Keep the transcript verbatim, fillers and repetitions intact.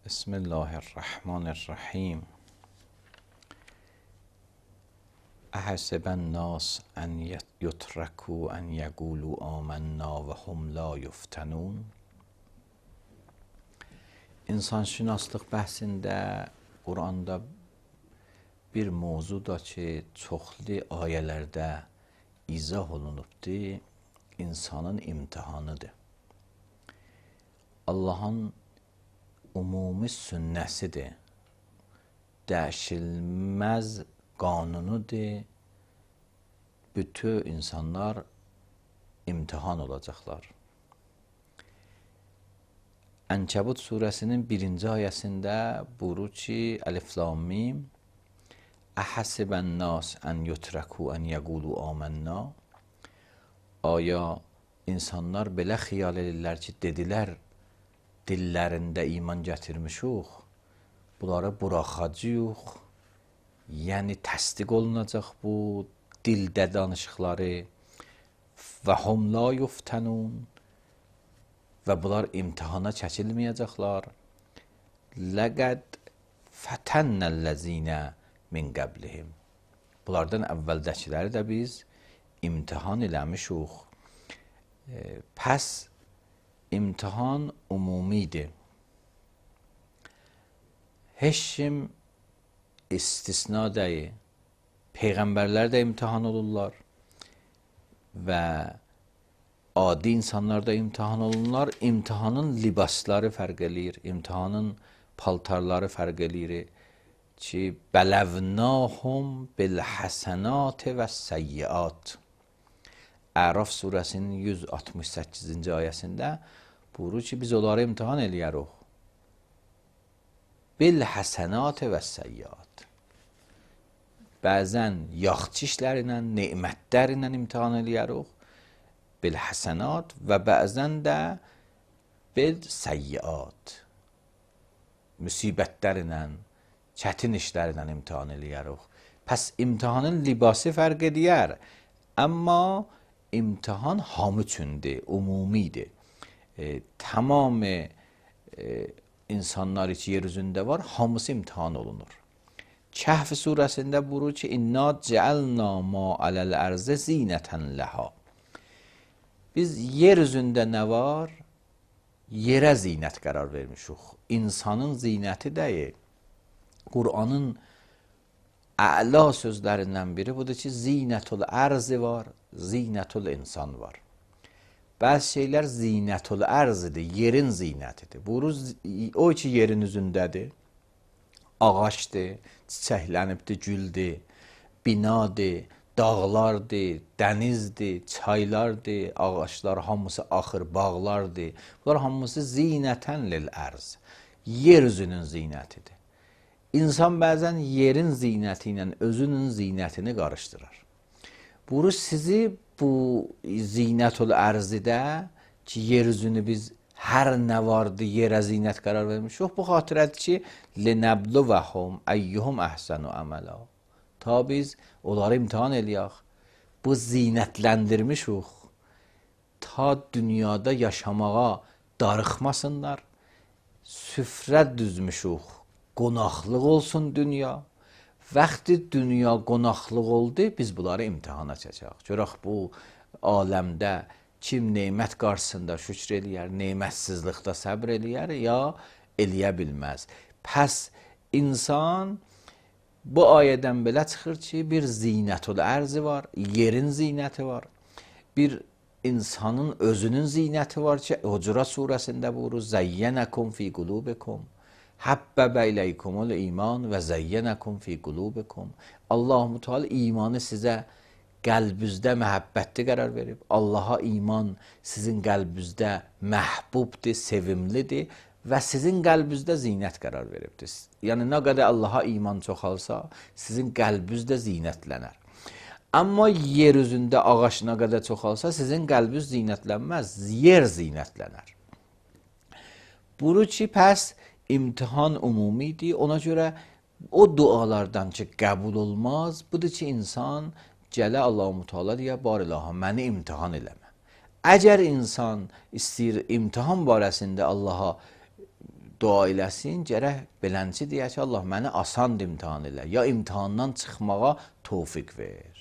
بسم الله الرحمن الرحیم. احسب الناس ان یترکوا ان یقولوا آمنا و هم لا یفتنون. İnsanşünaslıq bəhsində Quranda bir mövzuda ki, çoxlu ayələrdə izah olunubdur, insanın imtihanıdır. Allahın umumi sünnəsidir, dəyişilməz qanunudur. Bütün insanlar imtihan olacaqlar. Ənkəbut surəsinin birinci ayəsində buyurur ki, Əlif Lam Mim Əhəsibən nas ən yutraku ən yəqulu amənna. Aya insanlar belə xiyal edirlər ki, dedilər dillərində iman gətirmişuq, bunları buraxacağıq, yəni təsdiq olunacaq bu dildə danışıqları və hum la yuftənun və bunlar imtihana çəkilməyəcəklər. Ləqəd fətənnəl-ləzinə min qəblihim. Bunlardan əvvəldəkiləri də biz imtihan eləmişuq. E, pəs imtihan umumidir. Heç kim istisna deyil. Peyğəmbərlər də imtihan olurlar və adi insanlar da imtihan olunurlar. İmtihanın libasları fərq eləyir, imtihanın paltarları fərq eləyir ki, bələvnahum bilhəsənat və səyyiat. Əraf surəsinin yüz altmış səkkizinci ayəsində buyurur ki, biz onları imtihan eləyərik. Bilhəsənat və səyyiat. Bəzən yaxşı işlərlə, nemətlərlə imtihan eləyərik. Bilhəsənat və bəzən də bil səyyiat. Müsibətlərlə, çətin işlərlə imtihan eləyərik. Pəs imtihanın libası fərq edər. Amma imtihan hamı üçündür, umumidir. E, tamam e, insanlar ki, yer üzündə var, hamısı imtihan olunur. Kəhf surəsində buyurur ki, İnna cəalna ma aləl ərzə zinətən ləha. Biz yer üzündə nə var? Yerə zinət qərar vermişik. İnsanın zinəti deyil. Qur'anın əla sözlərindən biri budur ki, zinətul ərzi var, zinətul insan var. Bəzi şeylər zinətul ərzidir, yerin zinətidir. Buyurur, o ki, yerin üzündədir, ağaçdır, çiçəklənibdir, güldür, binadır, dağlardır, dənizdir, çaylardır, ağaçlar hamısı axır, bağlardır. Bunlar hamısı zinətən lil ərz, yer üzünün zinətidir. İnsan bəzən yerin zinəti ilə özünün zinətini qarışdırır. Buyurur, sizi bu zinətul ərzidə ki, yer üzünü biz hər nə vardı yerə zinət qərar vermişik. Bu xatirədir ki, linəbluvəhum əyyuhum əhsənu əmələ. Ta biz onları imtihan eləyək. Bu zinətləndirmişik. Ta dünyada yaşamağa darıxmasınlar. Süfrə düzmüşük. Qonaqlıq olsun dünya. Vaxtı dünya qonaqlıq oldu, biz bunları imtihana çəkək. Görək bu aləmdə kim neymət qarşısında şükr eləyər, neymətsizlikdə səbr eləyər, ya eləyə bilməz. Pəs insan bu ayədən belə çıxır ki, bir zinətul ərzi var, yerin zinəti var. Bir insanın özünün zinəti var ki, Hucurat surəsində buyurur, Zəyyənəkum fi qulubikum. Həbbəbə iləykumul iman və zəyyənəkum fi qulubikum. Allah-u Teala imanı sizə qəlbinizdə məhəbbətli qərar verib. Allaha iman sizin qəlbinizdə məhbubdur, sevimlidir və sizin qəlbinizdə zinət qərar veribdir. Yəni, nə qədər Allaha iman çoxalsa, sizin qəlbinizdə zinətlənər. Amma yer üzündə ağaç nə qədər çoxalsa, sizin qəlbiniz zinətlənməz, yer zinətlənər. Buyurur ki, pəs imtihan umumidir, ona görə o dualardan ki, qəbul olmaz, budur ki, insan gələ Allah-u Teala deyə, bar ilaha, məni imtihan eləmə. Əgər insan istəyir imtihan barəsində Allaha dua eləsin, gərək belənçi deyə ki, Allah məni asan imtahan elə, ya imtahandan çıxmağa tövfiq ver.